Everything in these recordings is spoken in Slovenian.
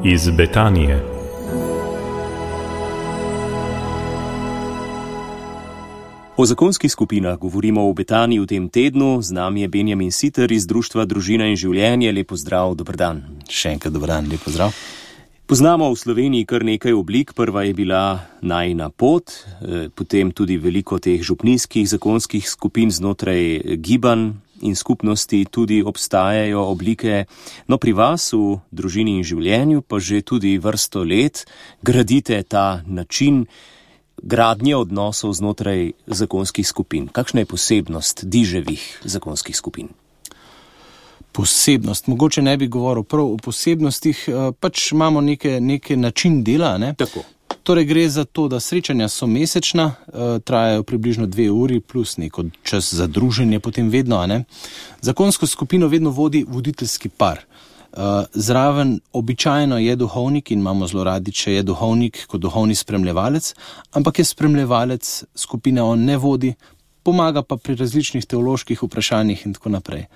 Iz Betanije. O zakonskih skupinah govorimo v Betaniji v tem tednu. Z nami je Benjamin Siter iz Društva Družina in življenje. Lep pozdrav, dober dan. Še enkrat dober dan, lep pozdrav. Poznamo v Sloveniji kar nekaj oblik. Prva je bila Najina pot, potem tudi veliko teh župnijskih zakonskih skupin znotraj gibanj in skupnosti tudi obstajajo oblike. No, pri vas v Družini in življenju pa že tudi vrsto let gradite ta način gradnje odnosov znotraj zakonskih skupin. Kakšna je posebnost diževih zakonskih skupin? Posebnost, mogoče ne bi govoril prav o posebnostih, pač imamo neke način dela, ne? Tako. Torej gre za to, da srečanja so mesečna, trajajo približno 2 uri plus neko čas za druženje, potem vedno, ne? Zakonsko skupino vedno vodi voditeljski par. Zraven običajno je duhovnik in imamo zelo radi, če je duhovnik kot duhovni spremljevalec, ampak je spremljevalec skupine, on ne vodi, pomaga pa pri različnih teoloških vprašanjih in tako naprej.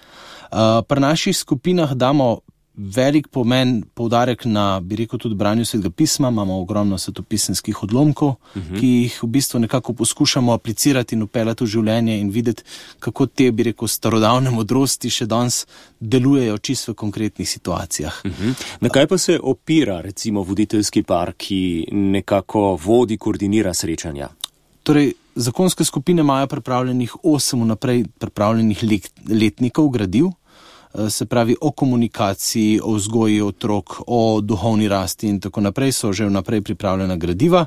Pri naših skupinah damo velik pomen, poudarek na, bi rekel, tudi branju Svetega pisma, imamo ogromno svetopisemskih odlomkov, ki jih v bistvu nekako poskušamo aplicirati in vpeljati v življenje in videti, kako te, bi rekel, starodavne modrosti še danes delujejo čisto v konkretnih situacijah. Na kaj pa se opira, recimo, voditeljski par, ki nekako vodi, koordinira srečanja? Torej, zakonske skupine imajo pripravljenih 8 vnaprej pripravljenih letnikov gradiv, se pravi o komunikaciji, o vzgoji otrok, o duhovni rasti in tako naprej, so že vnaprej pripravljena gradiva.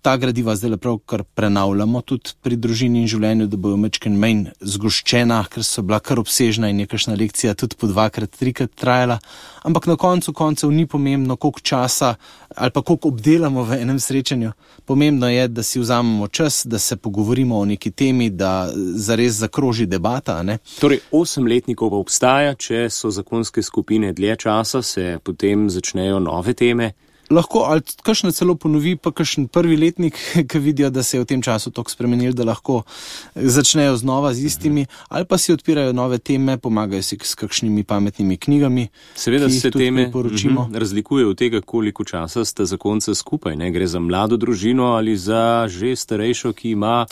Ta gradiva zdaj pravkar prenavljamo tudi pri Družini in življenju, da bojo majčkeno manj zgoščena, ker so bila kar obsežna in nekakšna lekcija tudi po 2-krat, 3-krat trajala. Ampak na koncu koncev ni pomembno, koliko časa ali pa koliko obdelamo v enem srečanju. Pomembno je, da si vzamemo čas, da se pogovorimo o neki temi, da zares zakroži debata, ne? Torej, 8 letnikov pa obstaja, če so zakonske skupine dlje časa, se potem začnejo nove teme. Lahko, ali kakšne celo ponovi, pa kakšen prvi letnik, ki vidijo, da se je v tem času toliko spremenil, da lahko začnejo znova z istimi, ali pa si odpirajo nove teme, pomagajo si s kakšnimi pametnimi knjigami. Seveda se teme razlikujejo od tega, koliko časa sta zakonca skupaj, ne? Gre za mlado družino ali za že starejšo, ki ima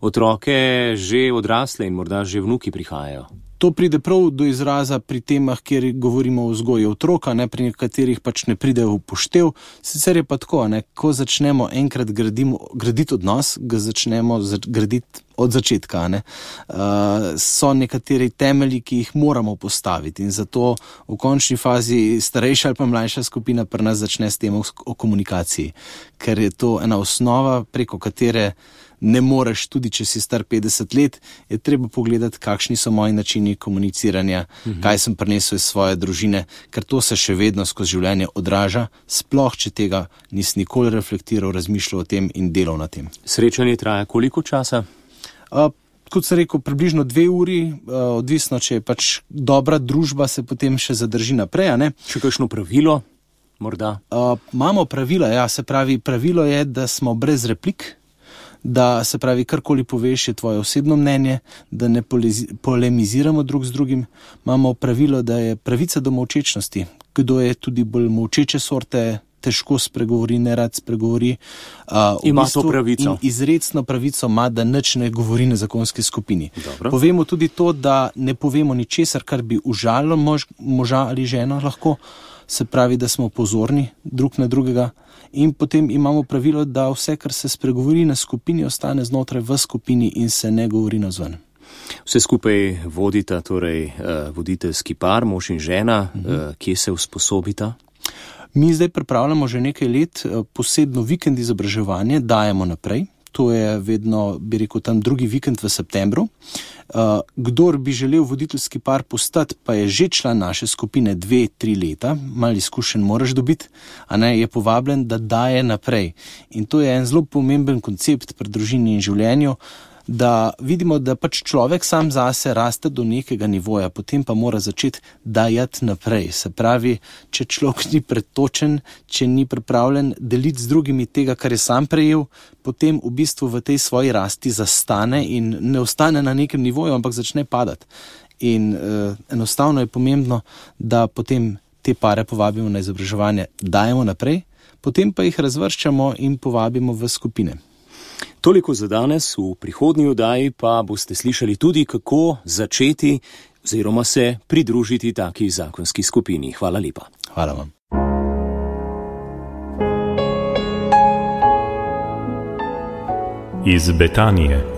otroke že odrasle in morda že vnuki prihajajo. To pride prav do izraza pri temah, kjer govorimo o vzgoji otroka, ne, pri katerih pač ne pride v upoštev. Sicer je pa tako, ne, ko začnemo enkrat graditi odnos, ga začnemo graditi od začetka. Ne. So nekateri temelji, ki jih moramo postaviti in zato v končni fazi starejša ali pa mlajša skupina pri nas začne s temo o komunikaciji, ker je to ena osnova, preko katere ne moreš, tudi če si star 50 let, je treba pogledati, kakšni so moji načini komuniciranja, kaj sem prinesel iz svoje družine, ker to se še vedno skozi življenje odraža, sploh če tega nisi nikoli reflektiral, razmišljal o tem in delal na tem. Srečanje traja koliko časa? Kot sem rekel, približno 2 uri, odvisno, če je pač dobra družba, se potem še zadrži naprej, a ne? Še kakšno pravilo, morda? Imamo pravila, ja, se pravi, pravilo je, da smo brez replik, da se pravi, karkoli poveš je tvoje osebno mnenje, da ne polemiziramo drug z drugim. Imamo pravilo, da je pravica do molčečnosti. Kdo je tudi bolj molčeče sorte, težko spregovori, nerad spregovori. Ima to pravico. In izrecno pravico ima, da nič ne govori na zakonski skupini. Dobro. Povemo tudi to, da ne povemo ničesar, kar bi užalilo moža ali ženo lahko. Se pravi, da smo pozorni drug na drugega. In potem imamo pravilo, da vse, kar se spregovori na skupini, ostane znotraj v skupini in se ne govori navzven. Vse skupaj vodita torej voditeljski par, mož in žena, kje se usposobita? Mi zdaj pripravljamo že nekaj let posebno vikend izobraževanje, dajemo naprej. To je vedno, bi rekel, tam 2. vikend v septembru. Kdor bi želel voditeljski par postati, pa je že član naše skupine 2-3 leta, malo izkušenj moraš dobiti, a ne, je povabljen, da daje naprej. In to je en zelo pomemben koncept pri Družini in življenju, da vidimo, da pač človek sam zase raste do nekega nivoja, potem pa mora začeti dajati naprej. Se pravi, če človek ni pretočen, če ni pripravljen deliti z drugimi tega, kar je sam prejel, potem v bistvu v tej svoji rasti zastane in ne ostane na nekem nivoju, ampak začne padati. In enostavno je pomembno, da potem te pare povabimo na izobraževanje, dajemo naprej, potem pa jih razvrščamo in povabimo v skupine. Toliko za danes, v prihodnji oddaji pa boste slišali tudi, kako začeti oziroma se pridružiti taki zakonski skupini. Hvala lepa. Hvala vam. Iz Betanije.